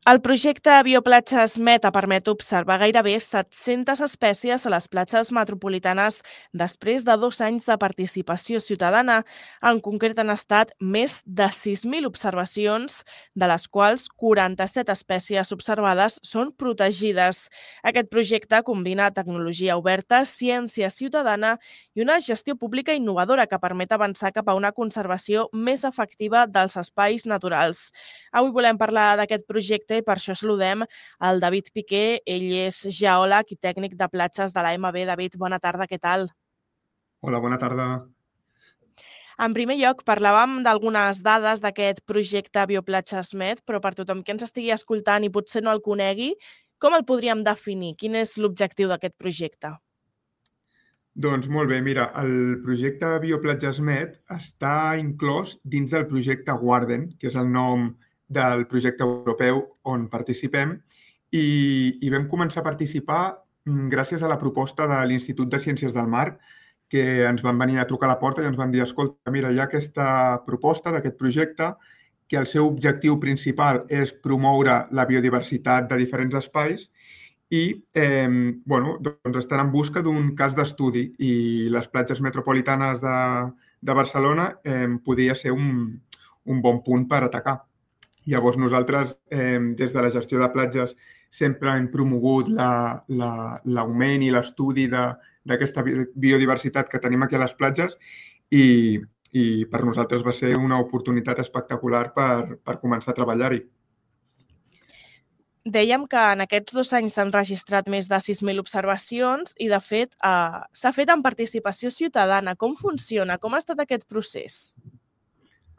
El projecte Bioplatges Meta permet observar gairebé 700 espècies a les platges metropolitanes després de 2 anys de participació ciutadana. En concret, han estat més de 6.000 observacions, de les quals 47 espècies observades són protegides. Aquest projecte combina tecnologia oberta, ciència ciutadana i una gestió pública innovadora que permet avançar cap a una conservació més efectiva dels espais naturals. Avui volem parlar d'aquest projecte i per això saludem el David Piqué. Ell és geòleg i tècnic de platges de l'AMB. David, bona tarda, què tal? Hola, bona tarda. En primer lloc, parlàvem d'algunes dades d'aquest projecte Bioplatges Med, però per tothom que ens estigui escoltant i potser no el conegui, com el podríem definir? Quin és l'objectiu d'aquest projecte? Doncs molt bé, mira, el projecte Bioplatges Med està inclòs dins del projecte Warden, que és el nom del projecte europeu on participem, i vam començar a participar gràcies a la proposta de l'Institut de Ciències del Mar, que ens van venir a trucar a la porta i ens van dir, escolta, mira, hi ha aquesta proposta d'aquest projecte que el seu objectiu principal és promoure la biodiversitat de diferents espais i doncs estan en busca d'un cas d'estudi i les platges metropolitanes de Barcelona podria ser un bon punt per atacar. Llavors nosaltres, des de la gestió de platges, sempre hem promogut l'augment i l'estudi d'aquesta biodiversitat que tenim aquí a les platges i per nosaltres va ser una oportunitat espectacular per començar a treballar-hi. Dèiem que en aquests 2 anys s'han registrat més de 6.000 observacions i, de fet, s'ha fet en participació ciutadana. Com funciona? Com ha estat aquest procés?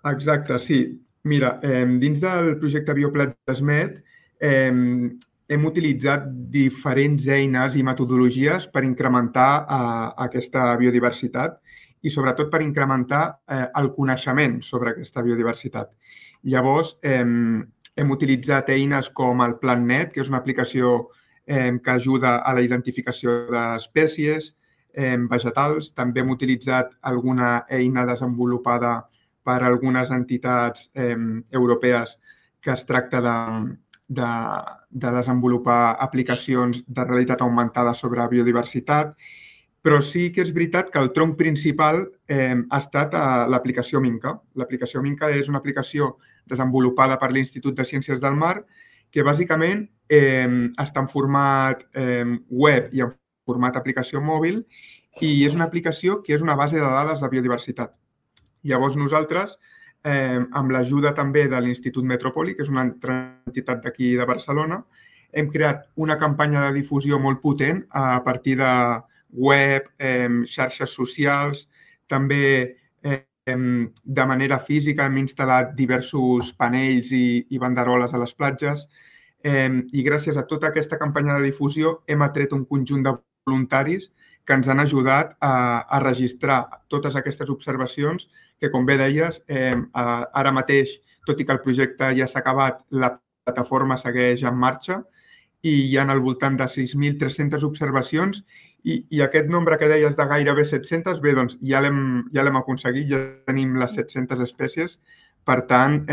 Exacte, sí. Mira, dins del projecte Bioplatges Med hem utilitzat diferents eines i metodologies per incrementar aquesta biodiversitat i sobretot per incrementar el coneixement sobre aquesta biodiversitat. Llavors, hem utilitzat eines com el PlanNet, que és una aplicació que ajuda a la identificació d'espècies vegetals. També hem utilitzat alguna eina desenvolupada per algunes entitats europees que es tracta de desenvolupar aplicacions de realitat augmentada sobre biodiversitat, però sí que és veritat que el tronc principal ha estat l'aplicació Minca. L'aplicació Minca és una aplicació desenvolupada per l'Institut de Ciències del Mar que bàsicament està en format web i en format aplicació mòbil i és una aplicació que és una base de dades de biodiversitat. Llavors nosaltres, amb l'ajuda també de l'Institut Metropoli, que és una altra entitat d'aquí de Barcelona, hem creat una campanya de difusió molt potent a partir de web, xarxes socials, també de manera física hem instal·lat diversos panells i banderoles a les platges i gràcies a tota aquesta campanya de difusió hem atret un conjunt de voluntaris que ens han ajudat a registrar totes aquestes observacions que, com bé deies, ara mateix, tot i que el projecte ja s'ha acabat, la plataforma segueix en marxa i hi ha al voltant de 6.300 observacions i aquest nombre que deies de gairebé 700, bé, doncs ja l'hem aconseguit, ja tenim les 700 espècies. Per tant,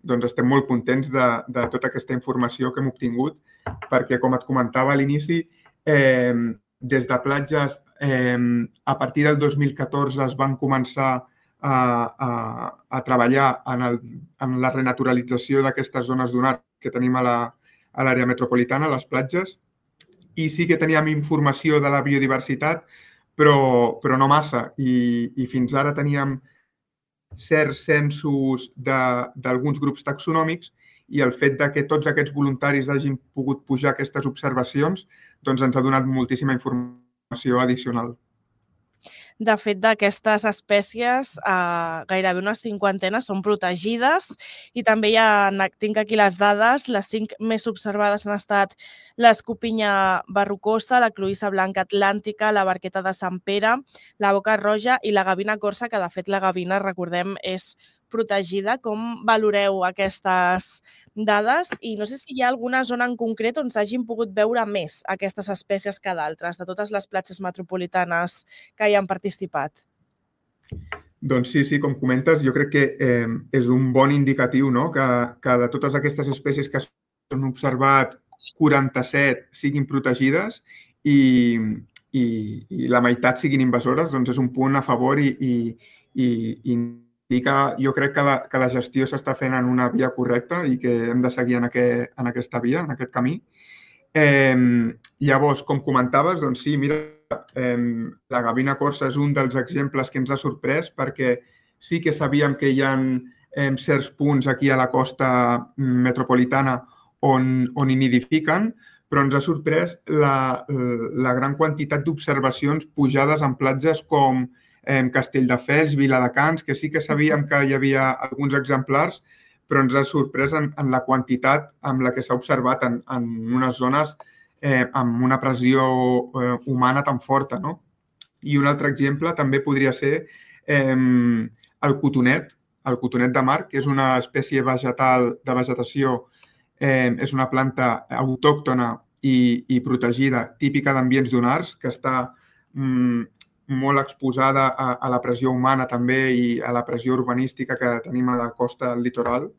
doncs estem molt contents de tota aquesta informació que hem obtingut perquè, com et comentava a l'inici, des de platges, a partir del 2014 es van començar a treballar en la renaturalització d'aquestes zones dunar que tenim a l'àrea metropolitana, a les platges, i sí que teníem informació de la biodiversitat, però no massa. I fins ara teníem certs censos d'alguns grups taxonòmics i el fet que tots aquests voluntaris hagin pogut pujar aquestes observacions doncs ens ha donat moltíssima informació addicional. De fet, d'aquestes espècies, gairebé una cinquantena són protegides i també tinc aquí les dades. Les 5 més observades han estat l'escopinya verrucosa, la cloïssa blanca atlàntica, la barqueta de Sant Pere, la boca roja i la gavina corsa, que de fet la gavina, recordem, és protegida. Com valoreu aquestes dades? I no sé si hi ha alguna zona en concret on s'hagin pogut veure més aquestes espècies que d'altres, de totes les platges metropolitanes que hi han participat. Doncs sí, com comentes, jo crec que és un bon indicatiu, no? Que de totes aquestes espècies que hem observat 47 siguin protegides i la meitat siguin invasores, doncs és un punt a favor i indica, jo crec que la gestió s'està fent en una via correcta i que hem de seguir en aquesta via, en aquest camí. Llavors, com comentaves, doncs sí, mira, la gavina corsa és un dels exemples que ens ha sorprès perquè sí que sabíem que hi ha certs punts aquí a la costa metropolitana on hi nidifiquen, però ens ha sorprès la gran quantitat d'observacions pujades en platges com Castelldefels, Viladecans, que sí que sabíem que hi havia alguns exemplars, però ens ha sorprès en la quantitat amb la que s'ha observat en unes zones amb una pressió humana tan forta, no? I un altre exemple també podria ser el cotonet de mar, que és una espècie vegetal de vegetació, és una planta autòctona i protegida, típica d'ambients dunars, que està molt exposada a la pressió humana també i a la pressió urbanística que tenim a la costa del litoral.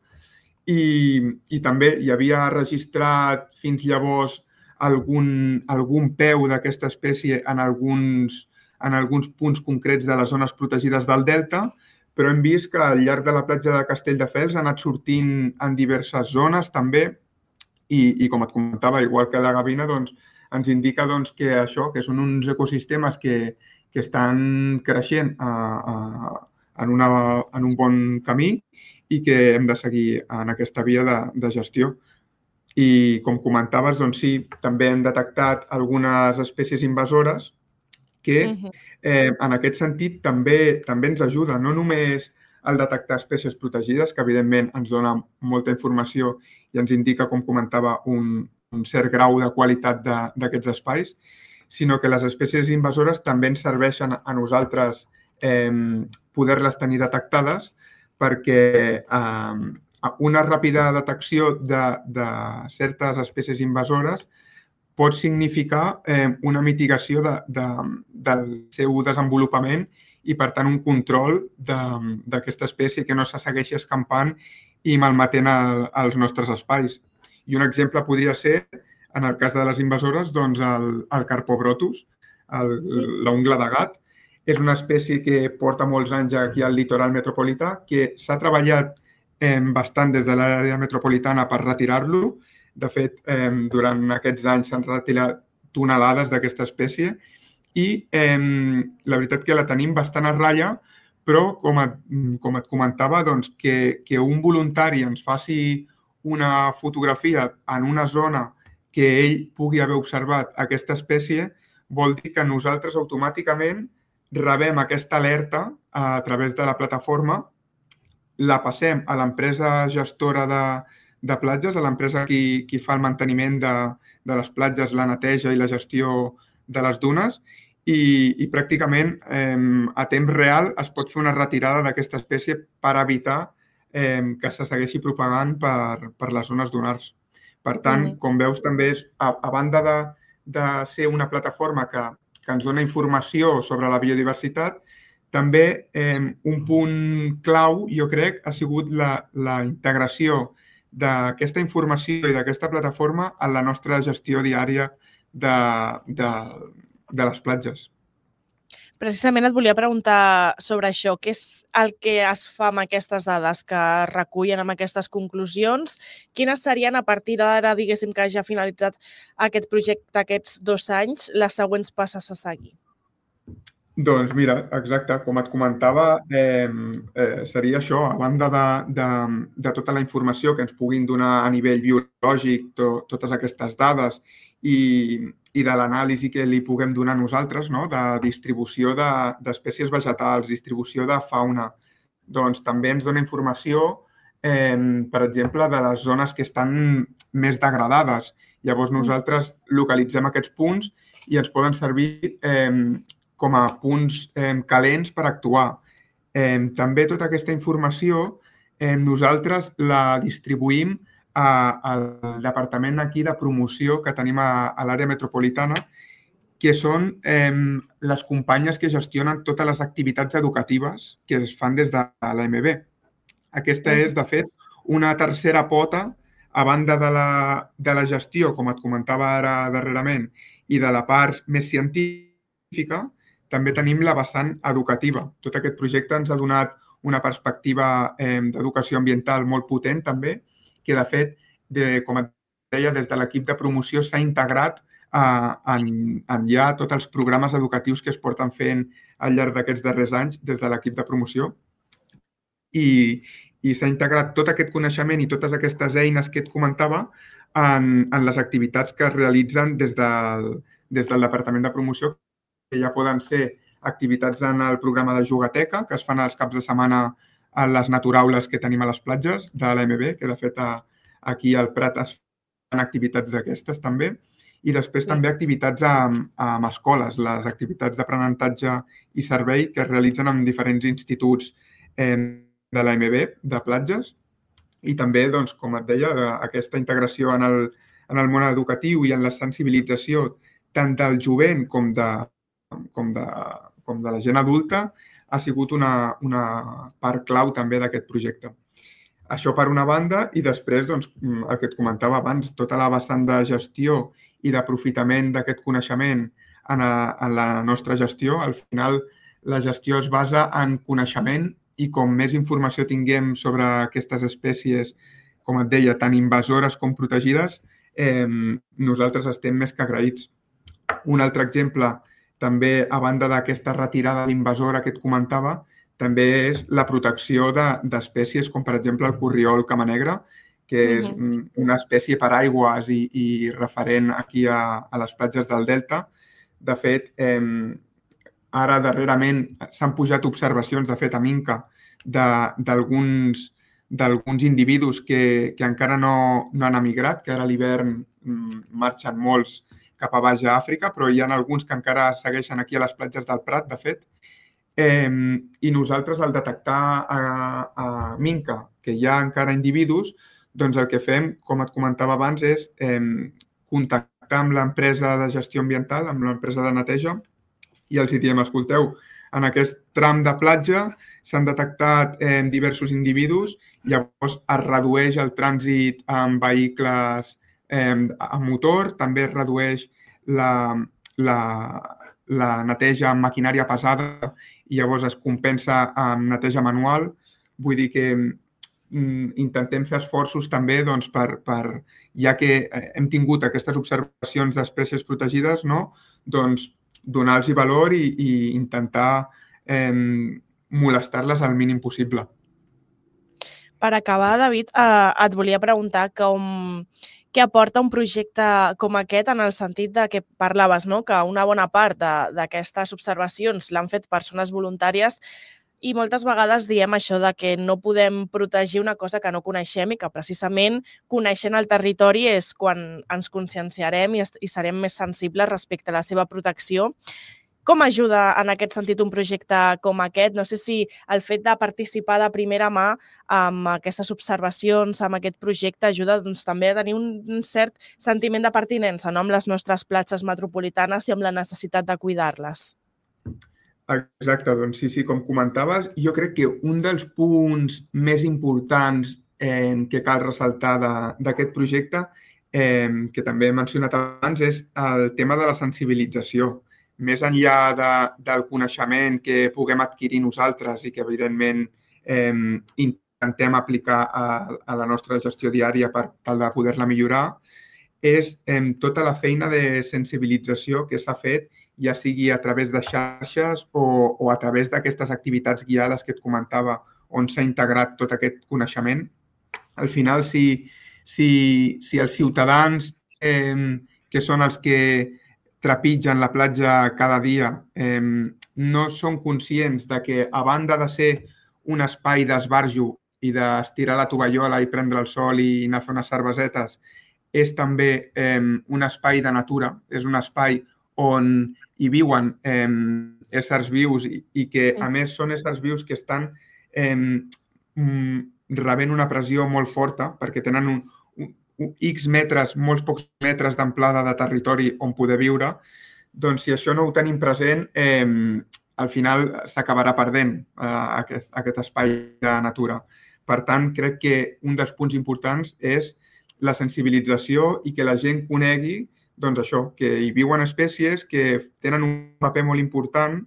I també hi havia registrat fins llavors algun peu d'aquesta espècie en alguns punts concrets de les zones protegides del delta, però hem vist que al llarg de la platja de Castelldefels ha anat sortint en diverses zones també i com et comentava, igual que la gavina, doncs, ens indica que això, que són uns ecosistemes que estan creixent en un bon camí i que hem de seguir en aquesta via de gestió. I com comentaves, doncs sí, també hem detectat algunes espècies invasores que en aquest sentit també ens ajuda, no només el detectar espècies protegides, que evidentment ens dona molta informació i ens indica, com comentava, un cert grau de qualitat d'aquests espais, sinó que les espècies invasores també ens serveixen a nosaltres poder-les tenir detectades perquè una ràpida detecció de certes espècies invasores pot significar una mitigació del seu desenvolupament i, per tant, un control d'aquesta espècie que no se segueixi escampant i malmetent els nostres espais. I un exemple podria ser, en el cas de les invasores, doncs el Carpobrotus, l'ungla de gat. És una espècie que porta molts anys aquí al litoral metropolità, que s'ha treballat bastant des de l'àrea metropolitana per retirar-lo. De fet, durant aquests anys s'han retirat tonelades d'aquesta espècie i la veritat que la tenim bastant a ratlla, però com et comentava, doncs, que un voluntari ens faci una fotografia en una zona que ell pugui haver observat aquesta espècie vol dir que nosaltres automàticament rebem aquesta alerta a través de la plataforma, la passem a l'empresa gestora de platges, a l'empresa qui fa el manteniment de les platges, la neteja i la gestió de les dunes i pràcticament a temps real es pot fer una retirada d'aquesta espècie per evitar que se segueixi propagant per les zones dunars. Per tant, com veus, també és, a banda de ser una plataforma que ens dona informació sobre la biodiversitat, també un punt clau, jo crec, ha sigut la integració d'aquesta informació i d'aquesta plataforma en la nostra gestió diària de les platges. Precisament et volia preguntar sobre això. Què és el que es fa amb aquestes dades que es recullen amb aquestes conclusions? Quines serien, a partir d'ara, diguéssim, que ja ha finalitzat aquest projecte aquests 2 anys, les següents passes a seguir? Doncs mira, exacte, com et comentava, seria això, a banda de tota la informació que ens puguin donar a nivell biològic, totes aquestes dades i de l'anàlisi que li puguem donar nosaltres, no? De distribució d'espècies vegetals, distribució de fauna, doncs també ens dona informació, per exemple, de les zones que estan més degradades. Llavors nosaltres localitzem aquests punts i ens poden servir com a punts calents per actuar. També tota aquesta informació nosaltres la distribuïm al departament aquí de promoció que tenim a l'àrea metropolitana, que són les companyes que gestionen totes les activitats educatives que es fan des de l'AMB. Aquesta és, de fet, una tercera pota a banda de la gestió, com et comentava ara darrerament, i de la part més científica, també tenim la vessant educativa. Tot aquest projecte ens ha donat una perspectiva d'educació ambiental molt potent també, que de fet, com et deia, des de l'equip de promoció s'ha integrat en ja tots els programes educatius que es porten fent al llarg d'aquests darrers anys des de l'equip de promoció. I s'ha integrat tot aquest coneixement i totes aquestes eines que et comentava en les activitats que es realitzen des del Departament de Promoció, que ja poden ser activitats en el programa de Jugateca, que es fan els caps de setmana a les naturaules que tenim a les platges de l'AMB, que de fet aquí al Prat es fan activitats d'aquestes també, i després també activitats amb escoles, les activitats d'aprenentatge i servei que es realitzen en diferents instituts de l'AMB, de platges, i també, doncs, com et deia, aquesta integració en el món educatiu i en la sensibilització tant del jovent com de la gent adulta ha sigut una part clau també d'aquest projecte. Això per una banda, i després, doncs, el que et comentava abans, tota la vessant de gestió i d'aprofitament d'aquest coneixement en la nostra gestió. Al final, la gestió es basa en coneixement i com més informació tinguem sobre aquestes espècies, com et deia, tant invasores com protegides, nosaltres estem més que agraïts. Un altre exemple, també a banda d'aquesta retirada d'invasora que et comentava, també és la protecció d'espècies com, per exemple, el corriol camanegre, que és una espècie per aigües i referent aquí a les platges del Delta. De fet, ara darrerament s'han pujat observacions, de fet, a Minca, d'alguns individus que encara no han emigrat, que ara a l'hivern marxen molts cap a baix a Àfrica, però hi ha alguns que encara segueixen aquí a les platges del Prat, de fet. I nosaltres, al detectar a Minca que hi ha encara individus, doncs el que fem, com et comentava abans, és contactar amb l'empresa de gestió ambiental, amb l'empresa de neteja, i els diem, escolteu, en aquest tram de platja s'han detectat diversos individus, llavors es redueix el trànsit amb vehicles amb motor, també es redueix la neteja amb maquinària pesada i llavors es compensa amb neteja manual. Vull dir que intentem fer esforços també, doncs, ja que hem tingut aquestes observacions d'espècies protegides, no? Doncs donar-los valor i intentar molestar-les al mínim possible. Per acabar, David, et volia preguntar què aporta un projecte com aquest en el sentit de que parlaves, no? Que una bona part d'aquestes observacions l'han fet persones voluntàries i moltes vegades diem això de que no podem protegir una cosa que no coneixem i que precisament coneixent el territori és quan ens conscienciarem i serem més sensibles respecte a la seva protecció. Com ajuda en aquest sentit un projecte com aquest? No sé si el fet de participar de primera mà amb aquestes observacions, amb aquest projecte, ajuda doncs, també a tenir un cert sentiment de pertinença, no? Amb les nostres platges metropolitanes i amb la necessitat de cuidar-les. Exacte, doncs sí, com comentaves, jo crec que un dels punts més importants que cal ressaltar d'aquest projecte, que també he mencionat abans, és el tema de la sensibilització. Més enllà del coneixement que puguem adquirir nosaltres i que, evidentment, intentem aplicar a la nostra gestió diària per tal de poder-la millorar, és tota la feina de sensibilització que s'ha fet, ja sigui a través de xarxes o a través d'aquestes activitats guiades que et comentava, on s'ha integrat tot aquest coneixement. Al final, si els ciutadans, que són els que trepitgen la platja cada dia, no són conscients de que, a banda de ser un espai d'esbarjo i d'estirar la tovallola i prendre el sol i anar a fer unes cervesetes, és també un espai de natura, és un espai on hi viuen éssers vius i que, a més, són éssers vius que estan rebent una pressió molt forta perquè tenen X metres, molts pocs metres d'amplada de territori on poder viure. Doncs si això no ho tenim present, al final s'acabarà perdent aquest espai de natura. Per tant, crec que un dels punts importants és la sensibilització i que la gent conegui doncs això, que hi viuen espècies que tenen un paper molt important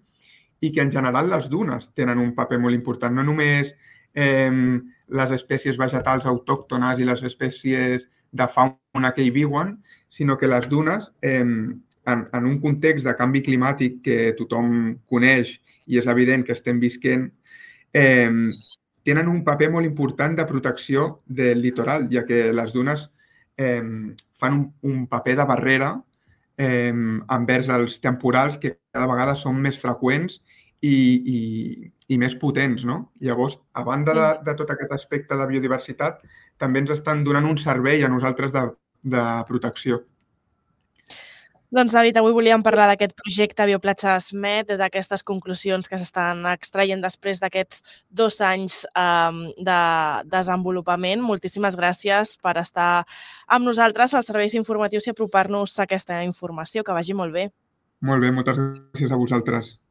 i que en general les dunes tenen un paper molt important. No només les espècies vegetals autòctones i les espècies de fauna que hi viuen, sinó que les dunes, en un context de canvi climàtic que tothom coneix i és evident que estem visquent, tenen un paper molt important de protecció del litoral, ja que les dunes fan un paper de barrera envers els temporals que cada vegada són més freqüents i més potents, no? Llavors, a banda de tot aquest aspecte de biodiversitat, també ens estan donant un servei a nosaltres de protecció. Doncs, David, avui volíem parlar d'aquest projecte Bioplatges Med, d'aquestes conclusions que s'estan extraient després d'aquests 2 anys de desenvolupament. Moltíssimes gràcies per estar amb nosaltres als serveis informatius i apropar-nos a aquesta informació. Que vagi molt bé. Molt bé, moltes gràcies a vosaltres.